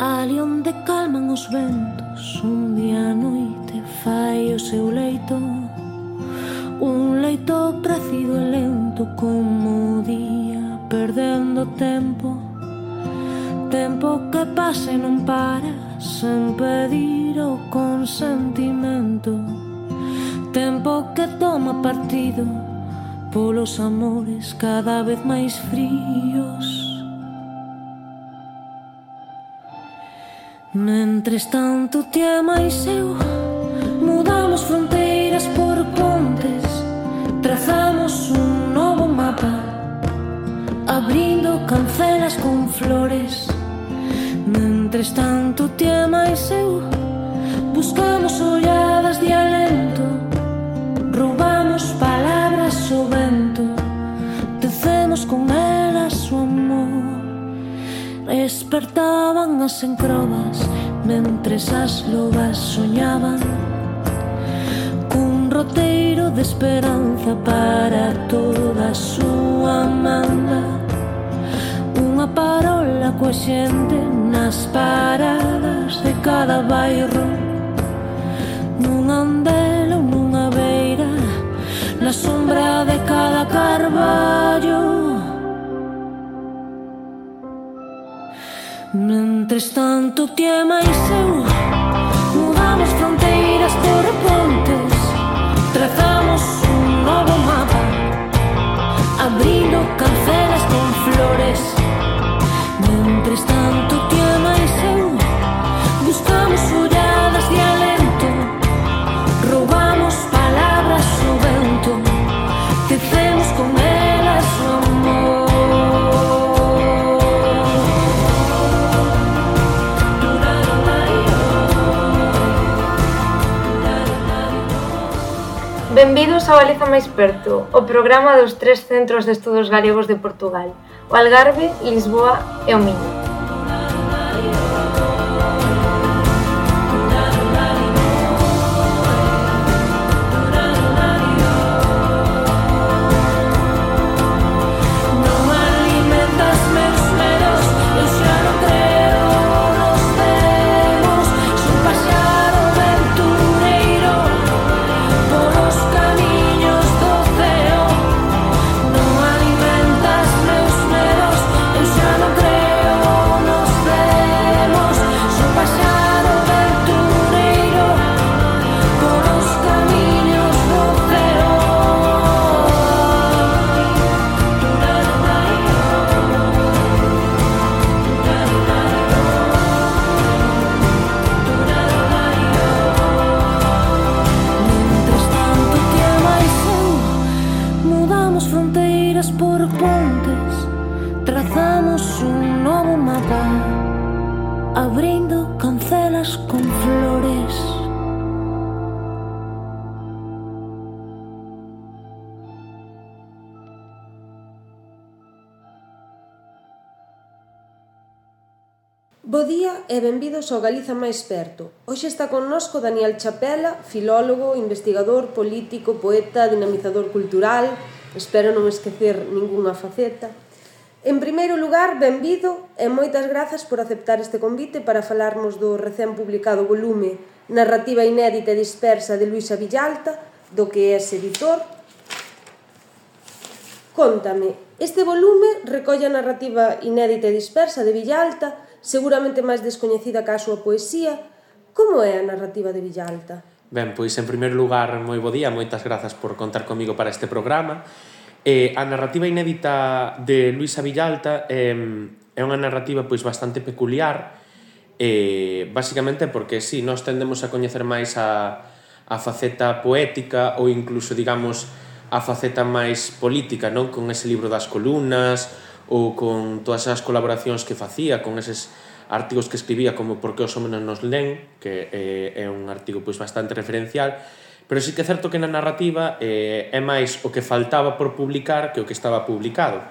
Ali onde calman os ventos, un día a noite fai o seu leito, un leito crecido e lento como o día, perdendo tempo, tempo que pasa e non para, sen pedir o consentimento, tempo que toma partido polos amores cada vez máis fríos. Mentres tanto ti e máis eu mudamos fronteiras por pontes, trazamos un novo mapa, abrindo cancelas con flores. Mentres tanto ti e máis eu buscamos olladas de alento, roubamos palabras ao vento, tecemos con elas o amor. Despertaban as encrobas mentres as lobas soñaban cun roteiro de esperanza para toda a súa manda, unha parola coa xente nas paradas de cada bairro, nun andel ou nunha beira, na sombra de cada carballo. Mentres tanto ti e máis eu mudamos fronteiras por pontes, trazamos un novo mapa, abrindo cancelas con flores. Mentres tanto ti e máis eu buscamos olladas de alento, roubamos palabras ao vento, tecemos con elas o amor. Benvidos ao Galiza máis perto, o programa dos tres centros de estudos galegos de Portugal, o Algarve, Lisboa e o Miño. Abrindo cancelas con flores. Bo día e benvidos ao Galiza máis perto. Hoxe está connosco Daniel Chapela, filólogo, investigador, político, poeta, dinamizador cultural. Espero non esquecer ningunha faceta. En primeiro lugar, benvido e moitas grazas por aceptar este convite para falarnos do recén publicado volume Narrativa inédita e dispersa de Luisa Villalta, do que és editor. Cóntame, este volume recolle a narrativa inédita e dispersa de Villalta, seguramente máis descoñecida que a súa poesía. Como é a narrativa de Villalta? Ben, pois en primeiro lugar, moi bo día, moitas grazas por contar comigo para este programa. A narrativa inédita de Luisa Villalta é unha narrativa pois bastante peculiar, basicamente porque si, nós tendemos a coñecer máis a faceta poética ou incluso, digamos, a faceta máis política, non? Con ese libro das columnas ou con todas as colaboracións que facía, con eses artigos que escribía como Por que os homes nos len, que é un artigo pois bastante referencial. Pero sí que é certo que na narrativa é máis o que faltaba por publicar que o que estaba publicado.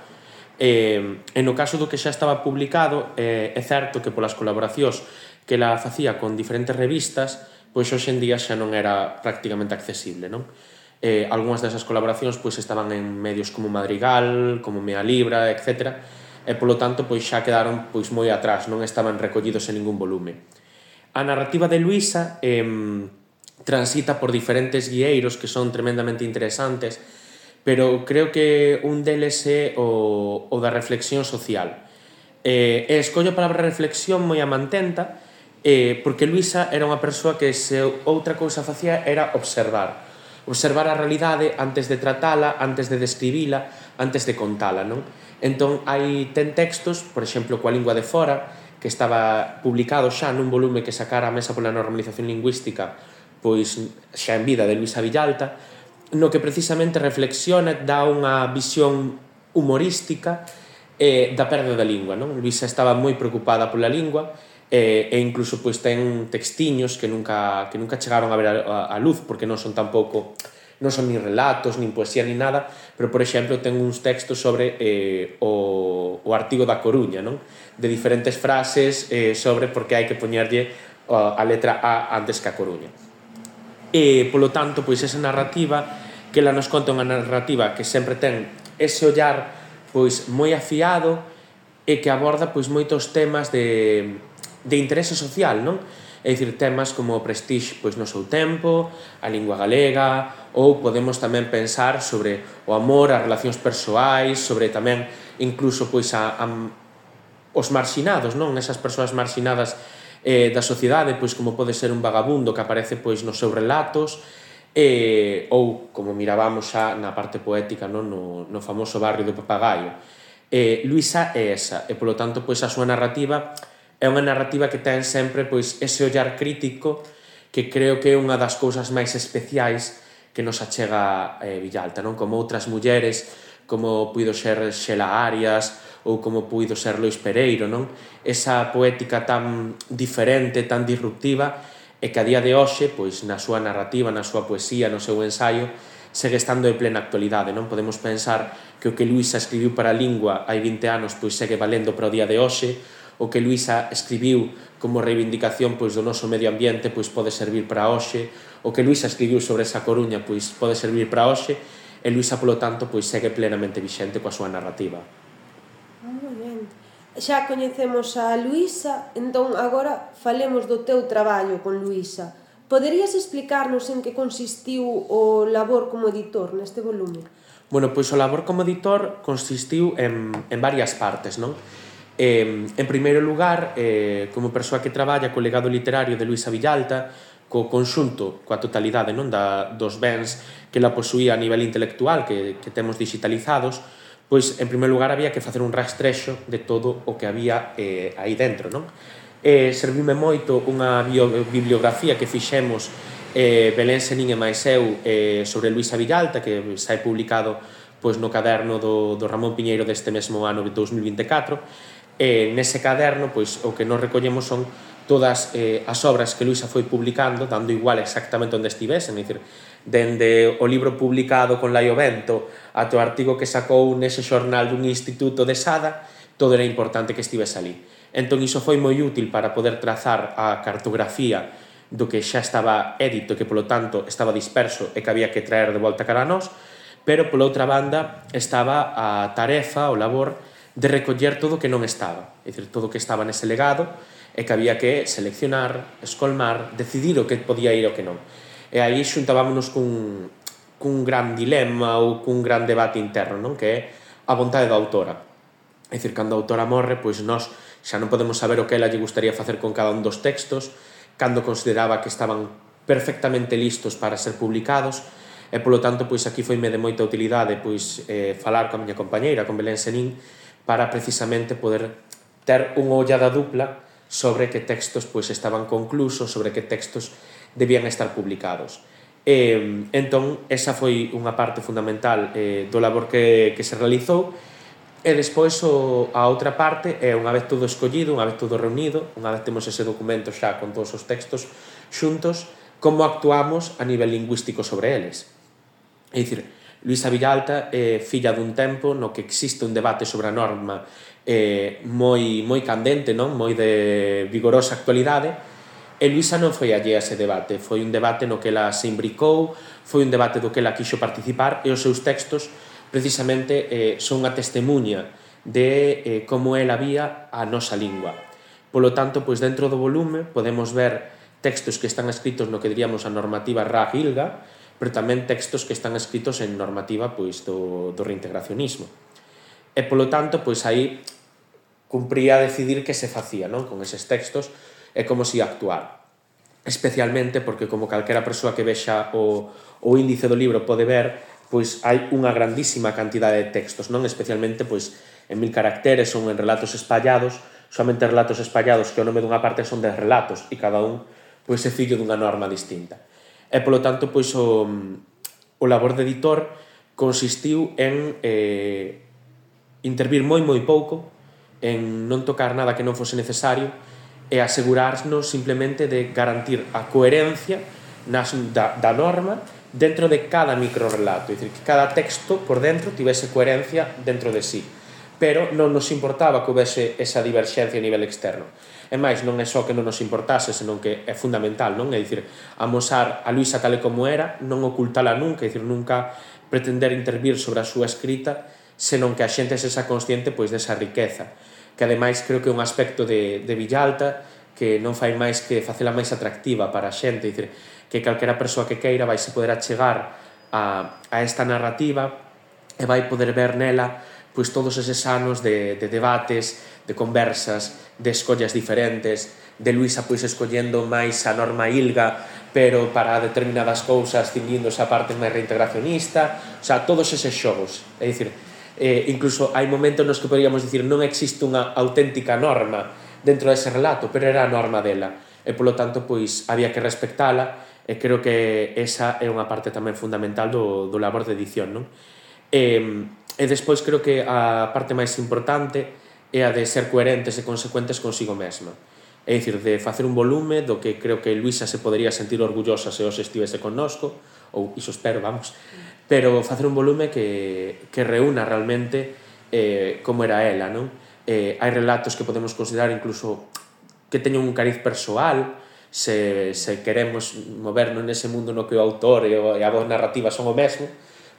E no caso do que xa estaba publicado, é certo que polas colaboracións que ela facía con diferentes revistas, pois hoxe en día xa non era prácticamente accesible, non? Algúnas desas colaboracións pois estaban en medios como Madrigal, como Mea Libra, etc. e polo tanto pois xa quedaron pois moi atrás, non estaban recollidos en ningún volume. A narrativa de Luisa transita por diferentes guieiros que son tremendamente interesantes, pero creo que un deles é o da reflexión social. Escollo a palabra reflexión moi a mantenta, porque Luisa era unha persoa que se outra cousa facía era observar a realidade antes de tratala, antes de describila, antes de contala, non? Entón, ten textos, por exemplo, coa lingua de fora, que estaba publicado xa nun volume que sacara a Mesa pola Normalización Lingüística, pois xa en vida de Luisa Villalta, no que precisamente reflexiona, dá unha visión humorística da perda da lingua, non? Luisa estaba moi preocupada pola lingua, e incluso pois ten textiños que nunca chegaron a ver a luz, porque non son tampouco, non son nin relatos, nin poesía, nin nada, pero, por exemplo, ten uns textos sobre o artigo da Coruña, non? De diferentes frases sobre por que hai que poñerlle a letra A antes que a Coruña. E, polo tanto, pois esa narrativa que ela nos conta, unha narrativa que sempre ten ese ollar pois moi afiado e que aborda pois moitos temas de interese social, non? É dicir, temas como o prestixe pois no seu tempo, a lingua galega, ou podemos tamén pensar sobre o amor, as relacións persoais, sobre tamén incluso pois os marxinados, non? Esas persoas marxinadas da sociedade, pois como pode ser un vagabundo que aparece pois nos seus relatos, ou como mirábamos xa na parte poética, non? No famoso barrio do Papagaio. Luisa é esa, e polo tanto pois a súa narrativa é unha narrativa que ten sempre pois ese ollar crítico que creo que é unha das cousas máis especiais que nos achega Villalta, non? Como outras mulleres, como puido ser Xela Arias ou como puido ser Lois Pereiro, non? Esa poética tan diferente, tan disruptiva, e que a día de hoxe, pois na súa narrativa, na súa poesía, no seu ensaio, segue estando de plena actualidade, non? Podemos pensar que o que Luisa escribiu para a lingua hai 20 anos pois segue valendo para o día de hoxe, o que Luisa escribiu como reivindicación pois do noso medio ambiente pois pode servir para hoxe, o que Luisa escribiu sobre esa Coruña pois pode servir para hoxe, e Luisa, polo tanto, pois segue plenamente vixente coa súa narrativa. Moi ben. Xa coñecemos a Luisa, entón agora falemos do teu traballo con Luisa. Poderías explicarnos en que consistiu o labor como editor neste volume? Bueno, pois o labor como editor consistiu en varias partes, non? En primeiro lugar, como persoa que traballa co legado literario de Luisa Villalta, co conxunto, coa totalidade, non, dos bens que la posuía a nivel intelectual que temos digitalizados, pois, en primeiro lugar, había que facer un rastrexo de todo o que había aí dentro, non? Serviume moito unha bibliografía que fixemos Belén Senín e máis eu sobre Luisa Villalta, que sai publicado pois no caderno do Ramón Piñeiro deste mesmo ano de 2024. Nese caderno, pois, o que nos recollemos son todas as obras que Luisa foi publicando, dando igual exactamente onde estivesen, é dicir, dende o libro publicado con Laio Bento ata o artigo que sacou nese xornal dun instituto de Sada, todo era importante que estivese ali. Entón, iso foi moi útil para poder trazar a cartografía do que xa estaba édito, que, polo tanto, estaba disperso e que había que traer de volta cara a nós, pero, pola outra banda, estaba a tarefa, o labor, de recoller todo o que non estaba, é dicir, todo o que estaba nese legado e que había que seleccionar, escolmar, decidir o que podía ir e o que non. E aí xuntábamos cun gran dilema ou cun gran debate interno, non? Que é a vontade da autora. É dicir, cando a autora morre, pois nós xa non podemos saber o que ela lle gustaría facer con cada un dos textos, cando consideraba que estaban perfectamente listos para ser publicados, e polo tanto, pois aquí foime de moita utilidade pois falar coa miña compañeira, con Belén Senín, para precisamente poder ter unha ollada dupla sobre que textos pois estaban conclusos, sobre que textos debían estar publicados. Entón, esa foi unha parte fundamental do labor que se realizou, e despois a outra parte é, unha vez todo escollido, unha vez todo reunido, unha vez temos ese documento xa con todos os textos xuntos, como actuamos a nivel lingüístico sobre eles. É dicir, Luisa Villalta é filla dun tempo no que existe un debate sobre a norma moi candente, non? Moi de vigorosa actualidade, e Luisa non foi allea a ese debate, foi un debate no que ela se imbricou, foi un debate do que ela quixo participar, e os seus textos precisamente son unha testemunha de como ela vía a nosa lingua. Polo tanto, pois dentro do volume podemos ver textos que están escritos no que diríamos a normativa Ra-Gilga, pero tamén textos que están escritos en normativa pois do reintegracionismo. E polo tanto, pois aí cumpría decidir que se facía, non, con eses textos e como se ia actuar. Especialmente porque, como calquera persoa que vexa o índice do libro pode ver, pois hai unha grandísima cantidade de textos, non, especialmente pois en 1000 caracteres ou en relatos espallados, somente relatos espallados que o nome dunha parte son 10 relatos e cada un pois é fillo dunha norma distinta. E polo tanto, pois o labor de editor consistiu en intervir moi pouco, en non tocar nada que non fose necesario e asegurarnos simplemente de garantir a coherencia da norma dentro de cada microrelato, é dicir, que cada texto por dentro tivese coherencia dentro de sí, pero non nos importaba que houvese esa diverxencia a nivel externo. E máis, non é só que non nos importase, senón que é fundamental, non? É dicir, amosar a Luisa tal e como era, non ocultala nunca, é dicir, nunca pretender intervir sobre a súa escrita, senón que a xente sexa consciente pois desa riqueza, que ademais creo que é un aspecto de Villalta que non fai máis que facela máis atractiva para a xente, é dicir, que calquera persoa que queira vai se poder achegar a esta narrativa e vai poder ver nela pois todos eses anos de debates, de conversas, de escollas diferentes, de Luisa pois escollendo máis a norma Ilga, pero para determinadas cousas cinguíndose a parte máis reintegracionista, o sea, todos eses xogos, é dicir, incluso hai momentos nos que poderíamos dicir non existe unha auténtica norma dentro dese relato, pero era a norma dela, e polo tanto pois había que respectala, e creo que esa é unha parte tamén fundamental do labor de edición, non? E despois creo que a parte máis importante é a de ser coherentes e consecuentes consigo mesma. É dicir, de facer un volume do que creo que Luisa se podería sentir orgullosa se os estivese connosco, ou iso espero, vamos, pero facer un volume que reúna realmente como era ela, non? Hai relatos que podemos considerar incluso que teñen un cariz persoal, se queremos movernos nese mundo no que o autor e a voz narrativa son o mesmo,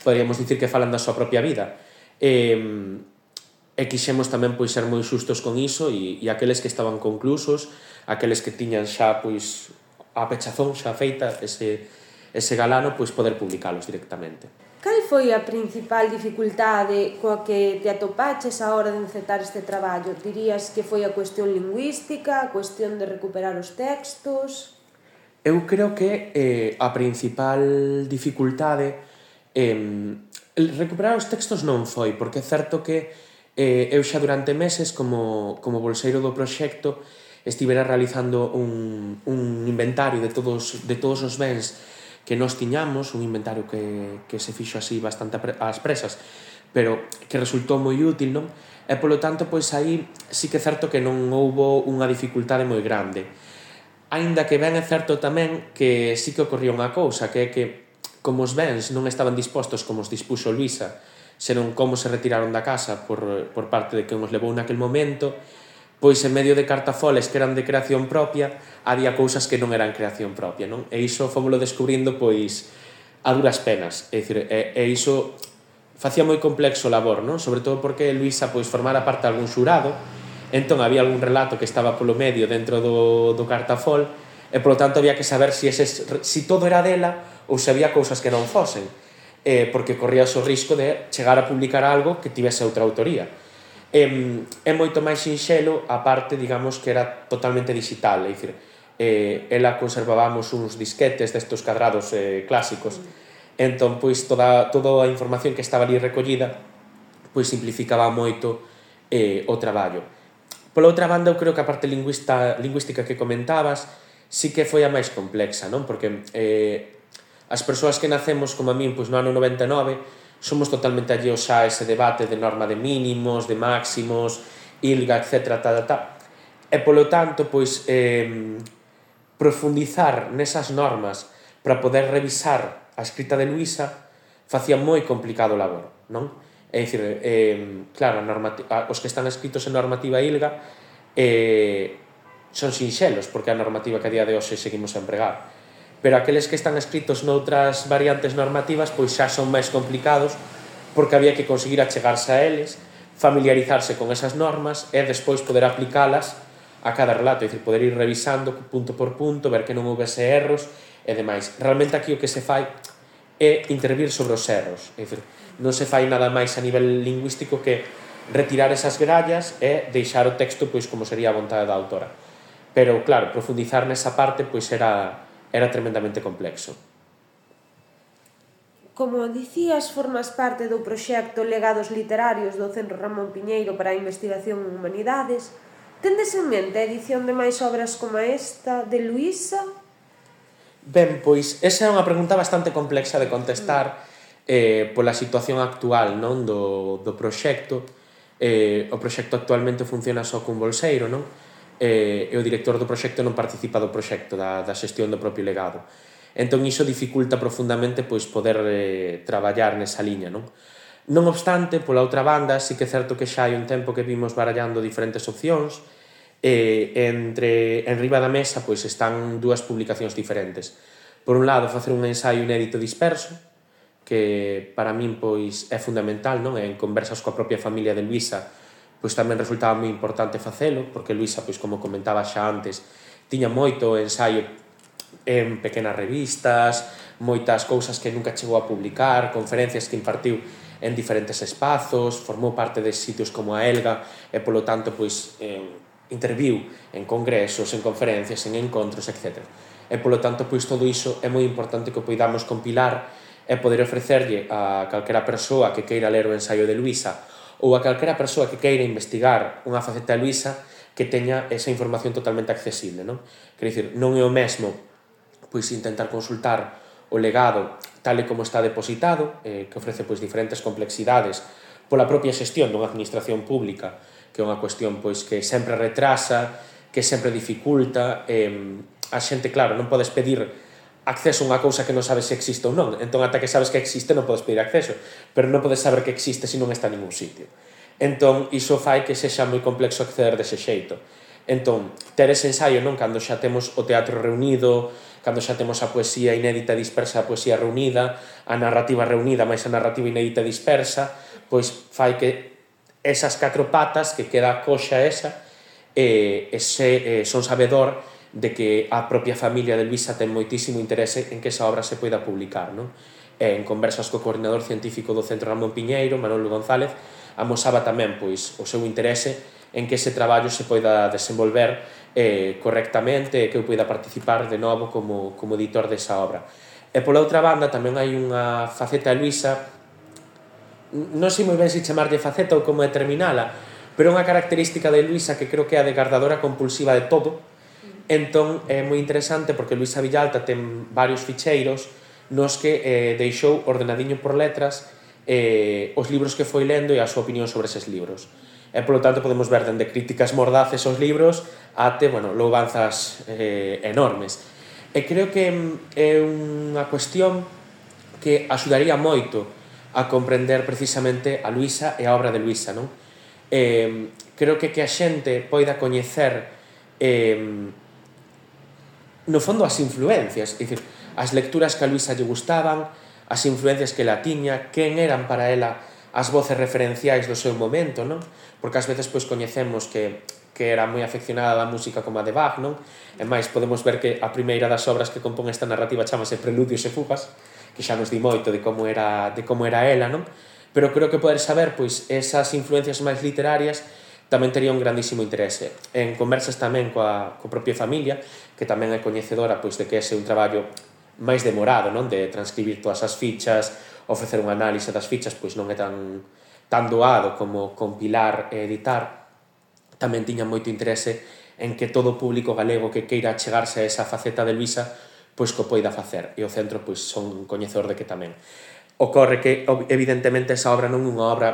poderíamos dicir que falan da súa propia vida. E quixemos tamén pois ser moi xustos con iso e aqueles que estaban conclusos, aqueles que tiñan xa pois a pechazón xa feita ese galano, pois poder publicalos directamente. Cal foi a principal dificultade coa que te atopaches a hora de encetar este traballo? Dirías que foi a cuestión lingüística, a cuestión de recuperar os textos? Eu creo que a principal dificultade recuperar os textos non foi, porque é certo que eu xa durante meses como bolseiro do proxecto estivera realizando un inventario de todos os bens que nós tiñamos, un inventario que se fixo así bastante ás presas, pero que resultou moi útil, non? E polo tanto, pois aí sí que é certo que non houbo unha dificultade moi grande. Aínda que ben é certo tamén que sí que ocorría unha cousa, que é que como os bens non estaban dispostos como os dispuxo Luisa, senón como se retiraron da casa por parte de quen os levou naquel momento, pois en medio de cartafoles que eran de creación propia, había cousas que non eran creación propia, non? E iso fomoslo descubrindo pois a duras penas, é dicir, e iso facía moi complexo o labor, non? Sobre todo porque Luisa pois formara parte de algún xurado, entón había algún relato que estaba polo medio dentro do cartafol, e polo tanto había que saber si todo era dela ou se había cousas que non fosen, porque corría o risco de chegar a publicar algo que tivese outra autoría. É moito máis sinxelo a parte, digamos, que era totalmente digital, é dicir, ela conservábamos uns disquetes destos cadrados clásicos, entón, pois, toda a información que estaba ali recollida pois simplificaba moito o traballo. Pola outra banda, eu creo que a parte lingüística que comentabas sí que foi a máis complexa, non? Porque as persoas que nacemos como a min pois no ano 99 somos totalmente alleos a ese debate de norma de mínimos, de máximos, ILGA, etc. E polo tanto, pois profundizar nesas normas para poder revisar a escrita de Luisa facía moi complicado o labor, non? É dicir, claro, os que están escritos en normativa ILGA son sinxelos, porque a normativa que a día de hoxe seguimos a empregar. Pero aqueles que están escritos noutras variantes normativas pois xa son máis complicados porque había que conseguir achegarse a eles, familiarizarse con esas normas e despois poder aplicalas a cada relato, é dicir, poder ir revisando punto por punto, ver que non houvese erros e demais. Realmente aquí o que se fai é intervir sobre os erros, é dicir, non se fai nada máis a nivel lingüístico que retirar esas grallas e deixar o texto pois como sería a vontade da autora. Pero, claro, profundizar nesa parte pois era tremendamente complexo. Como dicías, formas parte do proxecto Legados Literarios do Centro Ramón Piñeiro para a Investigación en Humanidades. Tendes en mente a edición de máis obras como esta de Luísa? Ben, pois esa é unha pregunta bastante complexa de contestar pola situación actual, non, do proxecto. O proxecto actualmente funciona só cun bolseiro, non? E o director do proxecto non participa do proxecto, da xestión do propio legado. Entón iso dificulta profundamente pois poder traballar nesa liña, non? Non obstante, pola outra banda, sí que é certo que xa hai un tempo que vimos barallando diferentes opcións. En riba da mesa pois están dúas publicacións diferentes. Por un lado, facer un ensaio inédito disperso, que para min pois é fundamental, non? En conversas coa propia familia de Luísa, pois tamén resultaba moi importante facelo, porque Luísa, pois como comentaba xa antes, tiña moito ensaio en pequenas revistas, moitas cousas que nunca chegou a publicar, conferencias que impartiu en diferentes espazos, formou parte de sitios como a Elga e, polo tanto, pois, interviu en congresos, en conferencias, en encontros, etc. E, polo tanto, pois, todo iso é moi importante que o poidamos compilar e poder ofrecerlle a calquera persoa que queira ler o ensaio de Luísa ou a calquera persoa que queira investigar unha faceta de Luísa que teña esa información totalmente accesible, non? Quer dicir, non é o mesmo pois intentar consultar o legado tal e como está depositado, que ofrece pois diferentes complexidades pola propia xestión dunha administración pública, que é unha cuestión pois que sempre retrasa, que sempre dificulta, a xente, claro, non podes pedir acceso a unha cousa que non sabes se existe ou non, entón ata que sabes que existe non podes pedir acceso, pero non podes saber que existe se non está en ningún sitio. Entón, iso fai que sexa moi complexo acceder dese xeito. Entón, ter ese ensaio, non, cando xa temos o teatro reunido, cando xa temos a poesía inédita dispersa, a poesía reunida, a narrativa reunida máis a narrativa inédita dispersa, pois fai que esas 4 patas que queda a coxa esa son sabedor de que a propia familia de Luísa ten moitísimo interese en que esa obra se poida publicar, non? En conversas co coordinador científico do Centro Ramón Piñeiro, Manolo González, amosaba tamén pois o seu interese en que ese traballo se poida desenvolver correctamente e que eu poida participar de novo como editor desa obra. E pola outra banda tamén hai unha faceta de Luísa, non sei moi ben se chamarlle faceta ou como determinala, pero é unha característica de Luísa que creo que é a de guardadora compulsiva de todo. Entón é moi interesante porque Luísa Villalta ten varios ficheiros nos que deixou ordenadiño por letras os libros que foi lendo e a súa opinión sobre eses libros. E, polo tanto, podemos ver dende críticas mordaces aos libros até, louvanzas enormes. E creo que é unha cuestión que axudaría moito a comprender precisamente a Luísa e a obra de Luísa, non? Creo que a xente poida coñecer no fondo as influencias, é dicir, as lecturas que a Luísa lle gustaban, as influencias que la tiña, quen eran para ela as voces referenciais do seu momento, non? Porque ás veces pois coñecemos que era moi afeccionada da música como a de Bach, non? E máis, podemos ver que a primeira das obras que compón esta narrativa chamase Preludios e Fugas, que xa nos di moito de como era ela, non? Pero creo que poder saber pois esas influencias máis literarias tamén tería un grandísimo interese. En conversas tamén coa propia familia, que tamén é coñecedora pois de que ese é un traballo máis demorado, non? De transcribir todas as fichas, ofrecer un análise das fichas, pois non é tan doado como compilar e editar. Tamén tiña moito interese en que todo o público galego que queira chegarse a esa faceta de Luísa pois que o poida facer, e o centro pois son coñecedor de que tamén. Ocorre que, evidentemente, esa obra non é unha obra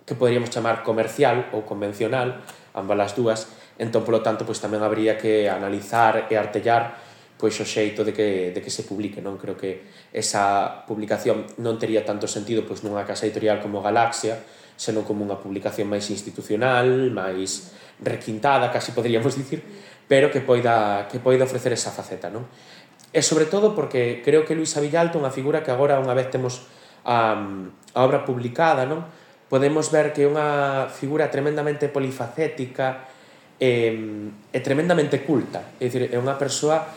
que poderíamos chamar comercial ou convencional, ambas as dúas, entón, polo tanto, pois tamén habría que analizar e artellar pois o xeito de que se publique, non? Creo que esa publicación non tería tanto sentido pois nunha casa editorial como Galaxia, senón como unha publicación máis institucional, máis requintada, casi poderíamos dicir, pero que poida ofrecer esa faceta, non? E sobre todo porque creo que Luísa Villalta é unha figura que agora, unha vez temos a obra publicada, non? podemos ver que é unha figura tremendamente polifacética e tremendamente culta. É dicir, é unha persoa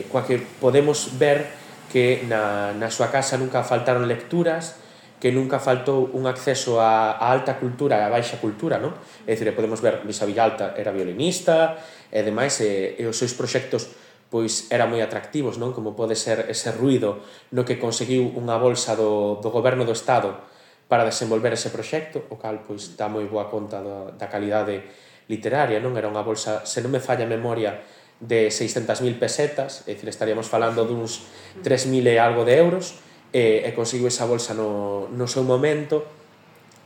coa que podemos ver que na súa casa nunca faltaron lecturas, que nunca faltou un acceso á alta cultura e á baixa cultura, non? É dicir, podemos ver Luisa Villalta era violinista e demais, e os seus proxectos pois eran moi atractivos, non? Como pode ser ese ruido no que conseguiu unha bolsa do goberno do Estado para desenvolver ese proxecto, o cal pois dá moi boa conta da calidade literaria, non? Era unha bolsa, se non me falla a memoria, de 600.000 pesetas, é dicir, estaríamos falando duns 3.000 e algo de euros, e conseguiu esa bolsa no seu momento,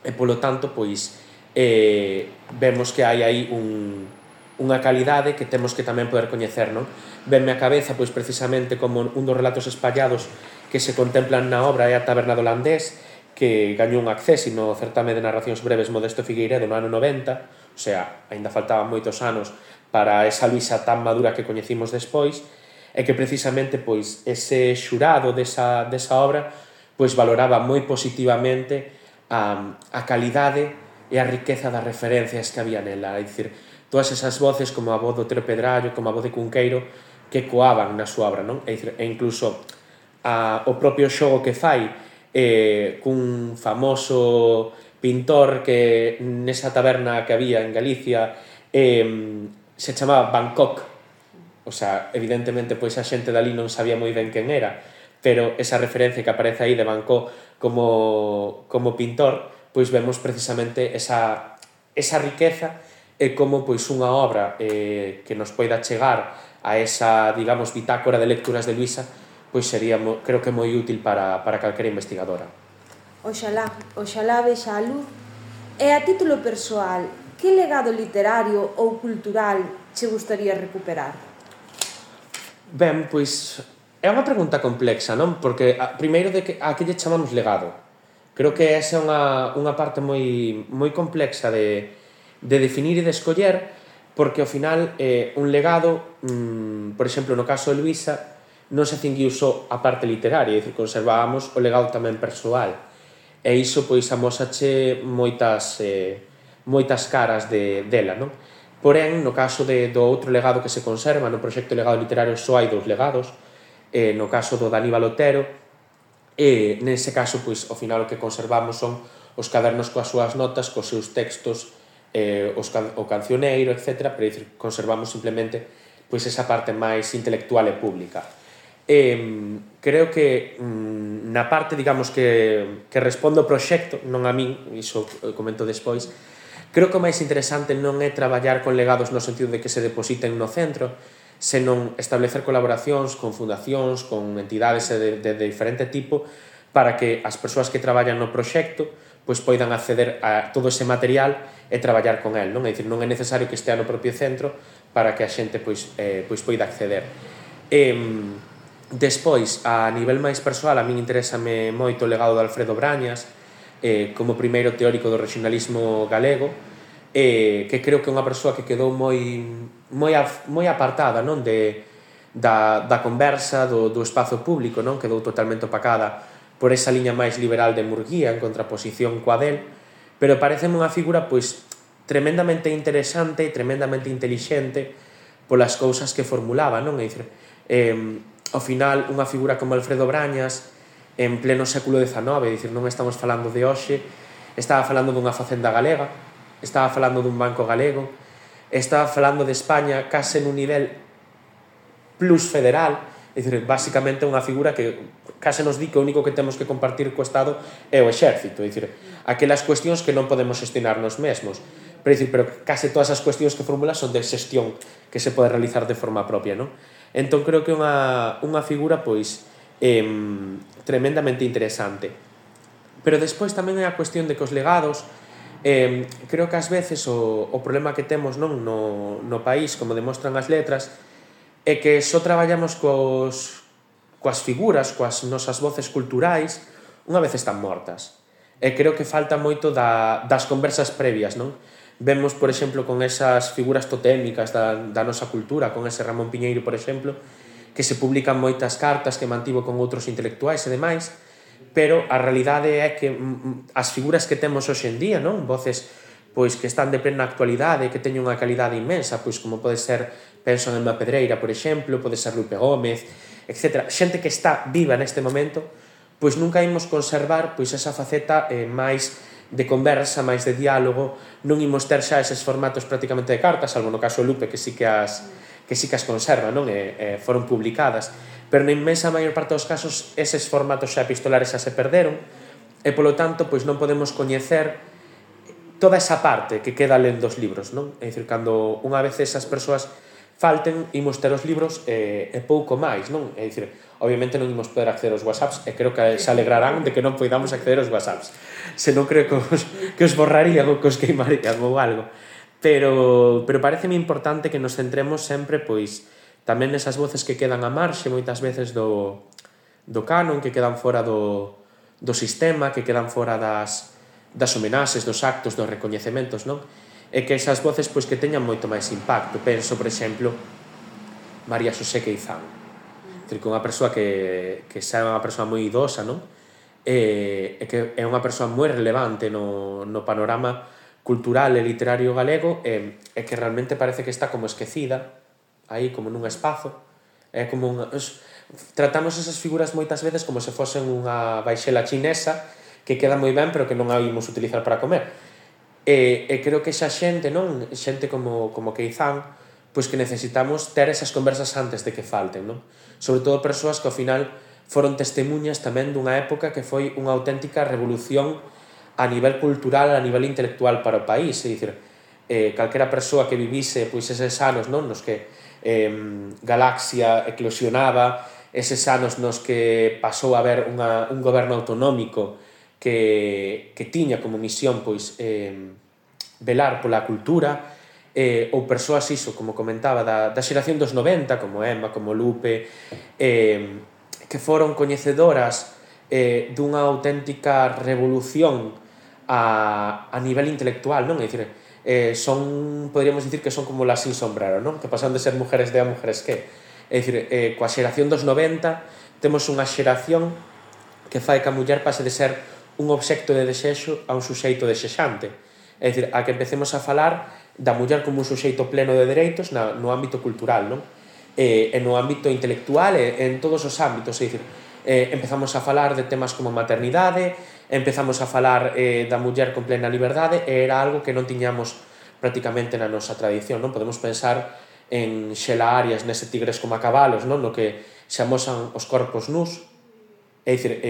e polo tanto, pois, vemos que hai aí unha calidade que temos que tamén poder coñecer, non? Venme a cabeza, pois, precisamente como un dos relatos espallados que se contemplan na obra é a Taberna do Landés, que gañou un accesi no certame de narracións breves Modesto Figueiredo no ano 90, o sea, aínda faltaban moitos anos para esa Luisa tan madura que coñecimos despois, e que precisamente pois ese xurado desa obra pois valoraba moi positivamente a calidade e a riqueza das referencias que había nela, é dicir, todas esas voces como a voz do Otero Pedrallo, como a voz de Cunqueiro, que coaban na súa obra, non? É dicir, e incluso o propio xogo que fai cun famoso pintor que nesa taberna que había en Galicia se chamaba Bangkok, o sea, evidentemente pois a xente dali non sabía moi ben quen era, pero esa referencia que aparece aí de Bangkok como pintor, pois vemos precisamente esa riqueza e como pois unha obra que nos poida chegar a esa, digamos, bitácora de lecturas de Luisa, pois sería, creo que moi útil para calquera investigadora. Oxalá vexa a luz. E a título persoal, que legado literario ou cultural che gustaría recuperar? Ben, pois é unha pregunta complexa, non? Porque primeiro a que lle chamamos legado. Creo que esa é unha parte moi complexa de definir e de escoller, porque ao final un legado, por exemplo, no caso de Luisa, non se cinguiu só a parte literaria, é dicir, conservábamos o legado tamén persoal. E iso, pois, amósache moitas caras dela, non? Porén, no caso do outro legado que se conserva, no proxecto Legado Literario só hai 2 legados, no caso do de Aníbal Otero, e nese caso, pois, ao final o que conservamos son os cadernos coas súas notas, cos seus textos, o cancioneiro, etc. Pero, dicir, conservamos simplemente pois esa parte máis intelectual e pública. Creo que na parte, digamos, que responde ao proxecto, non a min, iso comento despois, creo que o máis interesante non é traballar con legados no sentido de que se depositen no centro, senón establecer colaboracións con fundacións, con entidades de diferente tipo, para que as persoas que traballan no proxecto pois poidan acceder a todo ese material e traballar con el, non? É dicir, non é necesario que estea no propio centro para que a xente pois poida acceder. Despois, a nivel máis persoal, a min interésame moito o legado de Alfredo Brañas como primeiro teórico do regionalismo galego, que creo que é unha persoa que quedou moi apartada, non, da conversa, do espazo público, non? Quedou totalmente opacada por esa liña máis liberal de Murguía en contraposición coa del, pero pareceme unha figura pois tremendamente interesante e tremendamente intelixente polas cousas que formulaba, non? É dicir, ao final, unha figura como Alfredo Brañas, en pleno século XIX, é dicir, non estamos falando de hoxe, estaba falando dunha facenda galega, estaba falando dun banco galego, estaba falando de España case nun nivel plus federal, é dicir, basicamente unha figura que case nos di que o único que temos que compartir co Estado é o exército, é dicir, aquelas cuestións que non podemos xestionar nos mesmos, pero case todas as cuestións que formula son de xestión que se pode realizar de forma propia, non? Entón creo que é unha figura pois tremendamente interesante. Pero despois tamén é a cuestión de que os legados, creo que ás veces o problema que temos, non, no país, como demostran as letras, é que só traballamos coas figuras, coas nosas voces culturais, unha vez están mortas. E creo que falta moito das conversas previas, non? Vemos, por exemplo, con esas figuras totémicas da nosa cultura, con ese Ramón Piñeiro, por exemplo, que se publican moitas cartas que mantivo con outros intelectuais e demais, pero a realidade é que as figuras que temos hoxe en día, non? Voces pois que están de plena actualidade, que teñen unha calidade inmensa, pois como pode ser, penso en Emma Pedreira, por exemplo, pode ser Lupe Gómez, etc. Xente que está viva neste momento, pois nunca imos conservar pois esa faceta máis de conversa, máis de diálogo, non imos ter xa eses formatos prácticamente de cartas, salvo no caso de Lupe, que sí que as conserva, non? Foron publicadas, pero na inmensa maior parte dos casos eses formatos xa epistolares xa se perderon, e polo tanto pois non podemos coñecer toda esa parte que queda lendo os libros, non? É dicir, cando unha vez esas persoas falten, imos ter os libros e pouco máis, non? É dicir, obviamente non imos poder acceder aos WhatsApps, e creo que se alegrarán de que non poidamos acceder aos WhatsApps. Se non creo que os borrarían ou que os queimarían ou algo. Pero pareceme importante que nos centremos sempre, pois, tamén nesas voces que quedan a marxe, moitas veces do canon, que quedan fora do sistema, que quedan fora das homenaxes, dos actos, dos recoñecementos, non? E que esas voces, pois, que teñan moito máis impacto. Penso, por exemplo, María Xosé Queizán. Que é unha persoa que xa é unha persoa moi idosa, non? E que é unha persoa moi relevante no panorama cultural e literario galego e que realmente parece que está como esquecida aí como nun espazo. É como tratamos esas figuras moitas veces como se fosen unha baixela chinesa que queda moi ben pero que non a imos utilizar para comer. E creo que esa xente, non? Xente como Queizán, pois que necesitamos ter esas conversas antes de que falten, non? Sobre todo persoas que ao final foron testemunhas tamén dunha época que foi unha auténtica revolución a nivel cultural, a nivel intelectual para o país, é dicir, calquera persoa que vivise pois eses anos, non? Nos que Galaxia eclosionaba, eses anos nos que pasou a haber un goberno autonómico que tiña como misión pois velar pola cultura, ou persoas iso, como comentaba, da xeración dos 90, como Emma, como Lupe, que foron coñecedoras dunha auténtica revolución a nivel intelectual, non? É dicir, podríamos dicir que son como las sin sombrero, non? Que pasan de ser mujeres de a mujeres que. É dicir, coa xeración dos 90 temos unha xeración que fai que a muller pase de ser un obxecto de desexo a un suxeito desexante. É dicir, a que empecemos a falar da muller como un suxeito pleno de dereitos no ámbito cultural, non? E no ámbito intelectual e en todos os ámbitos, é dicir, empezamos a falar de temas como maternidade, empezamos a falar da muller con plena liberdade e era algo que non tiñamos prácticamente na nosa tradición, non? Podemos pensar en Xela Arias nese Tigres como a cabalos, non? No que se amosan os corpos nus, é dicir,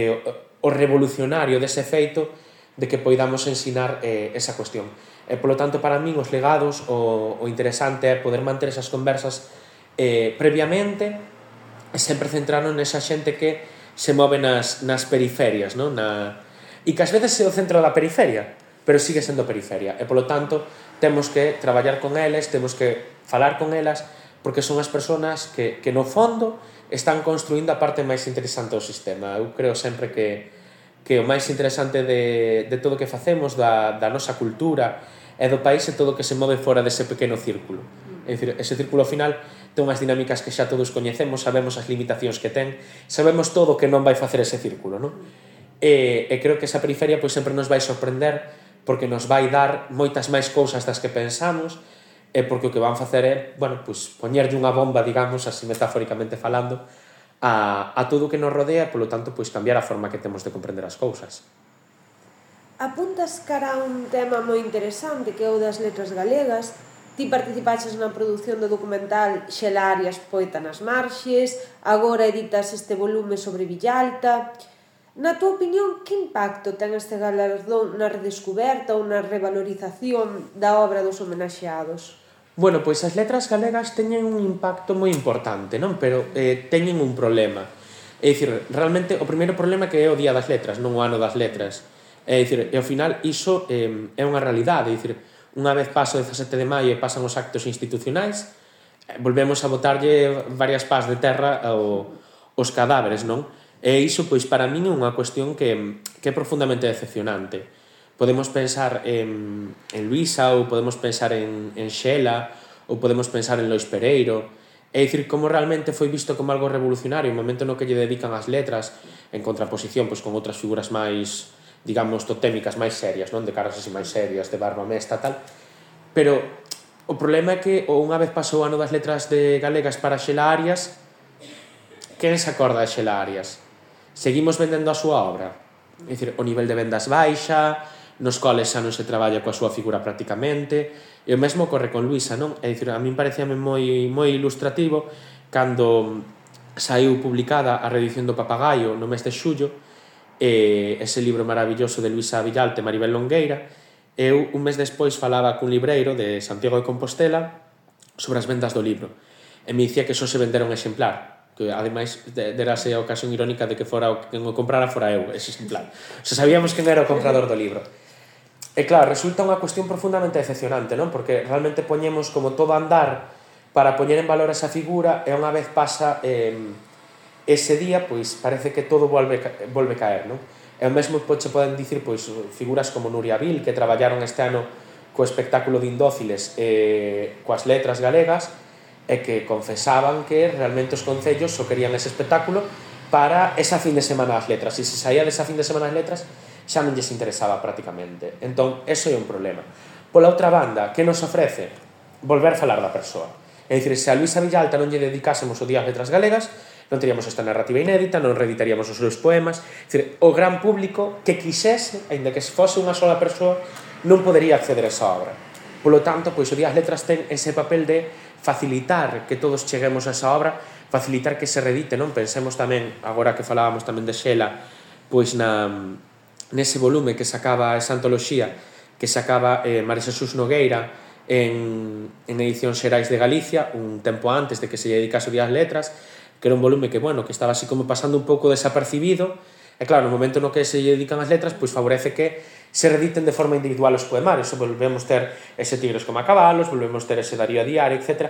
o revolucionario dese feito de que poidamos ensinar esa cuestión. E, polo tanto, para min, os legados, o interesante é poder manter esas conversas previamente e sempre centrarnos nesa xente que se move nas periferias, non? E que ás veces é o centro da periferia, pero sigue sendo periferia. E, polo tanto, temos que traballar con eles, temos que falar con elas, porque son as persoas que no fondo, están construindo a parte máis interesante do sistema. Eu creo sempre que o máis interesante de todo o que facemos, da nosa cultura e do país, é todo o que se move fora dese pequeno círculo. É dicir, ese círculo final ten unhas dinámicas que xa todos coñecemos, sabemos as limitacións que ten, sabemos todo o que non vai facer ese círculo, non? E creo que esa periferia pois sempre nos vai sorprender porque nos vai dar moitas máis cousas das que pensamos e porque o que van facer é, bueno, pois poñerlle unha bomba, digamos, así metafóricamente falando, a todo o que nos rodea e, polo tanto, pois cambiar a forma que temos de comprender as cousas. Apuntas cara a un tema moi interesante que é o das letras galegas. Ti participaches na produción do documental Xela Arias, poeta nas marxes, agora editas este volume sobre Villalta. Na túa opinión, que impacto ten este galardón na redescuberta ou na revalorización da obra dos homenaxeados? Bueno, pois as letras galegas teñen un impacto moi importante, non? Pero teñen un problema. É dicir, realmente, o primeiro problema que é o Día das Letras, non o Ano das Letras. É dicir, e ao final, iso é unha realidade. É dicir, unha vez pasa o 17 de maio e pasan os actos institucionais, volvemos a botarlle varias pás de terra aos cadáveres, non? E iso, pois, para min é unha cuestión que é profundamente decepcionante. Podemos pensar en Luisa, ou podemos pensar en Xela, ou podemos pensar en Lois Pereiro, É dicir, como realmente foi visto como algo revolucionario o momento no que lle dedican as letras en contraposición pois, con outras figuras máis, digamos, totémicas, máis serias, non? De caras así máis serias, de barba mesta, tal. Pero o problema é que unha vez pasou o ano das letras galegas para Xela Arias, quen se acorda de Xela Arias? Seguimos vendendo a súa obra? É dicir, o nivel de vendas baixa, nos coles xa non se traballa coa súa figura prácticamente, e o mesmo ocorre con Luisa, non? É dicir, a min parecíame moi ilustrativo cando saiu publicada a reedición do Papagaio no mes de xullo, ese libro maravilloso de Luisa Villalte e Maribel Longueira. Eu un mes despois falaba cun libreiro de Santiago de Compostela sobre as vendas do libro, e me dicía que só se vendera un exemplar, que ademais derase a ocasión irónica de que fora o que o comprara fora eu, ese exemplar. O sea, sabíamos quen era o comprador do libro. E claro, resulta unha cuestión profundamente decepcionante, non? Porque realmente poñemos como todo a andar para poñer en valor esa figura e unha vez pasa ese día, pois parece que todo volve caer, non? E o mesmo se poden dicir pois figuras como Nuria Vil, que traballaron este ano co espectáculo de Indóciles coas letras galegas e que confesaban que realmente os concellos só querían ese espectáculo para esa fin de semana das letras, e se saía desa fin de semana das letras xa non lles interesaba prácticamente. Entón, eso é un problema. Pola outra banda, que nos ofrece? Volver a falar da persoa. É dicir, se a Luisa Villalta non lle dedicásemos o Día das Letras Galegas, non teríamos esta narrativa inédita, non reeditaríamos os seus poemas. É dicir, o gran público que quixese, aínda que fose unha sola persoa, non podería acceder a esa obra. Polo tanto, pois o Día das Letras ten ese papel de facilitar que todos cheguemos a esa obra, facilitar que se reedite, non? Pensemos tamén, agora que falábamos tamén de Xela, pois nese volume que sacaba esa antoloxía que sacaba María Xesús Nogueira en Edicións Xerais de Galicia un tempo antes de que se dedicase o Día das Letras, que era un volume que, bueno, que estaba así como pasando un pouco desapercibido, e claro, no momento no que se dedican as letras, pois favorece que se rediten de forma individual os poemarios, volvemos ter ese Tigres como a cabalos, volvemos ter ese Darío a diario, etc.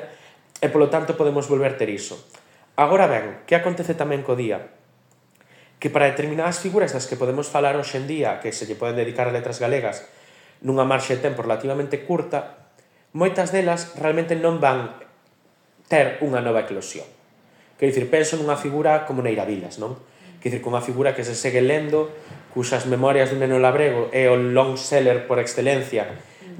E polo tanto podemos volver ter iso. Agora ben, que acontece tamén co día? Que para determinadas figuras das que podemos falar hoxe en día, que se lle poden dedicar a letras galegas nunha marxe de tempo relativamente curta, moitas delas realmente non van ter unha nova eclosión. Quero dicir, penso nunha figura como Neira Vilas, non? Quero dicir, unha figura que se segue lendo, cuxas Memorias dun neno labrego é o long seller por excelencia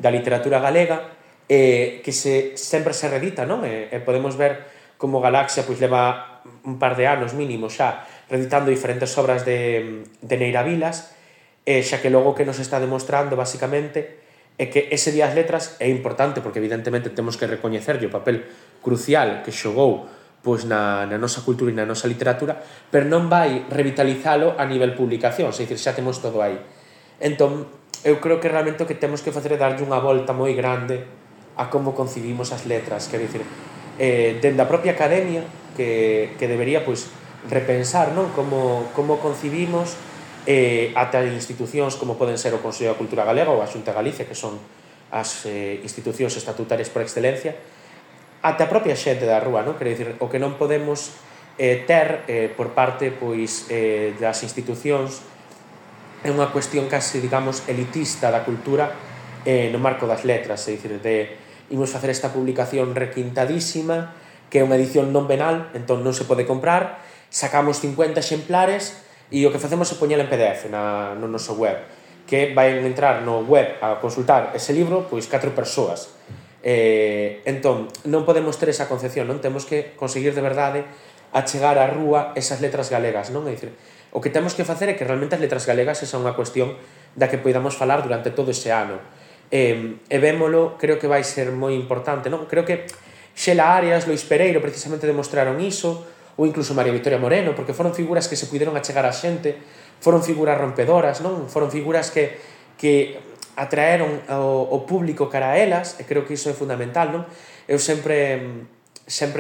da literatura galega, que sempre se reedita, non? E podemos ver como Galaxia pois leva un par de anos mínimo xa reeditando diferentes obras de Neira Vilas, xa que logo que nos está demostrando basicamente é que ese Día das Letras é importante porque evidentemente temos que recoñecerlle o papel crucial que xogou pois na nosa cultura e na nosa literatura, pero non vai revitalizalo a nivel publicación, é dicir, xa temos todo aí. Entón, eu creo que realmente o que temos que facer é darlle unha volta moi grande a como concibimos as letras, quero dicir, dende a propia academia que debería pois repensar, non? Como concibimos ata institucións como poden ser o Consello da Cultura Galega ou a Xunta de Galicia, que son as institucións estatutarias por excelencia, ata a propia xente da rúa, non? Quero dicir, o que non podemos ter por parte pois das institucións é unha cuestión case, digamos, elitista da cultura no marco das letras, é dicir, imos facer esta publicación requintadísima que é unha edición non venal, entón non se pode comprar, sacamos 50 exemplares e o que facemos é poñela en PDF no noso web, que vai entrar no web a consultar ese libro pois 4 persoas. Entón, non podemos ter esa concepción, non? Temos que conseguir de verdade achegar á rúa esas letras galegas, non? É dicir, o que temos que facer é que realmente as letras galegas esa é unha cuestión da que podamos falar durante todo ese ano. E vémolo, creo que vai ser moi importante, non? Creo que Xela Arias, Lois Pereiro precisamente demostraron iso, ou incluso María Victoria Moreno, porque foron figuras que se puderon achegar a xente, foron figuras rompedoras, non? Foron figuras que atraeron o público cara a elas, e creo que iso é fundamental, non? Eu sempre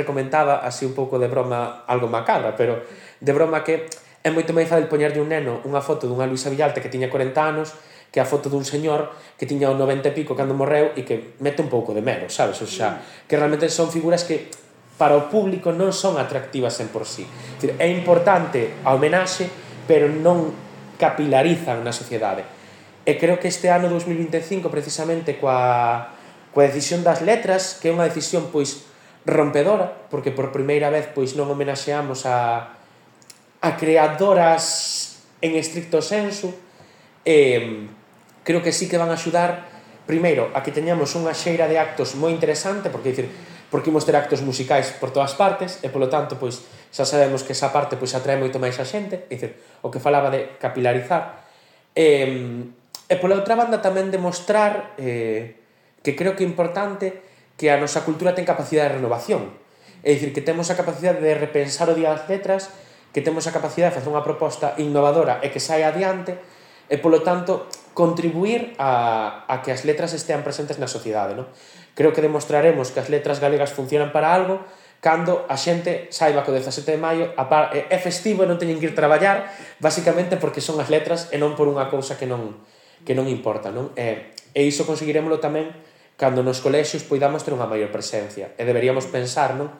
comentaba, así un pouco de broma, algo macabra, pero de broma que é moito máis fácil poñerlle un neno unha foto dunha Luisa Villalta que tiña 40 anos que a foto dun señor que tiña o 90 e pico cando morreu e que mete un pouco de medo, sabes? O sea, que realmente son figuras que para o público non son atractivas en por sí. É importante a homenaxe, pero non capilarizan na sociedade. E creo que este ano 2025, precisamente coa decisión das letras, que é unha decisión pois rompedora, porque por primeira vez pois non homenaxeamos a creadoras en estricto senso. Creo que sí que van a axudar primeiro a que teñamos unha xeira de actos moi interesante, porque imos ter actos musicais por todas partes e polo tanto pois xa sabemos que esa parte pois atrae moito máis a xente, o que falaba de capilarizar. E pola outra banda tamén demostrar que creo que é importante que a nosa cultura ten capacidade de renovación, é dicir, que temos a capacidade de repensar o Día das Letras, que temos a capacidade de facer unha proposta innovadora e que saia adiante, e polo tanto contribuir a que as letras estean presentes na sociedade, non? Creo que demostraremos que as letras galegas funcionan para algo cando a xente saiba que o 17 de maio é festivo e non teñen que ir traballar, basicamente porque son as letras e non por unha cousa que non importa, non? E iso conseguiremoslo tamén cando nos colexios poidamos ter unha maior presencia, e deberíamos pensar, non?